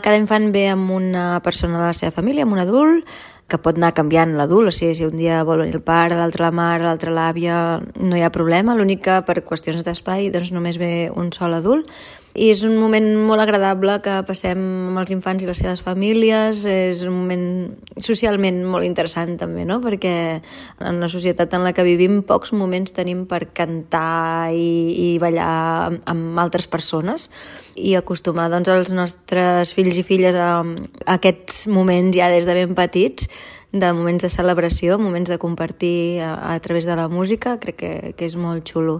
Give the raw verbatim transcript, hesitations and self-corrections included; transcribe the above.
cada infant ve amb una persona de la seva família, amb un adult, que pot anar canviant l'adult, o sigui, si un dia vol venir el pare, l'altre la mare, l'altre l'àvia, no hi ha problema, l'únic que per qüestions d'espai doncs només ve un sol adult. I és un moment molt agradable que passem amb els infants i les seves famílies, és un moment socialment molt interessant també, no? Perquè en la societat en la que vivim pocs moments tenim per cantar i, i ballar amb, amb altres persones i acostumar doncs, els nostres fills i filles a, a aquests moments ja des de ben petits, de moments de celebració, moments de compartir a, a través de la música, crec que, que és molt xulo.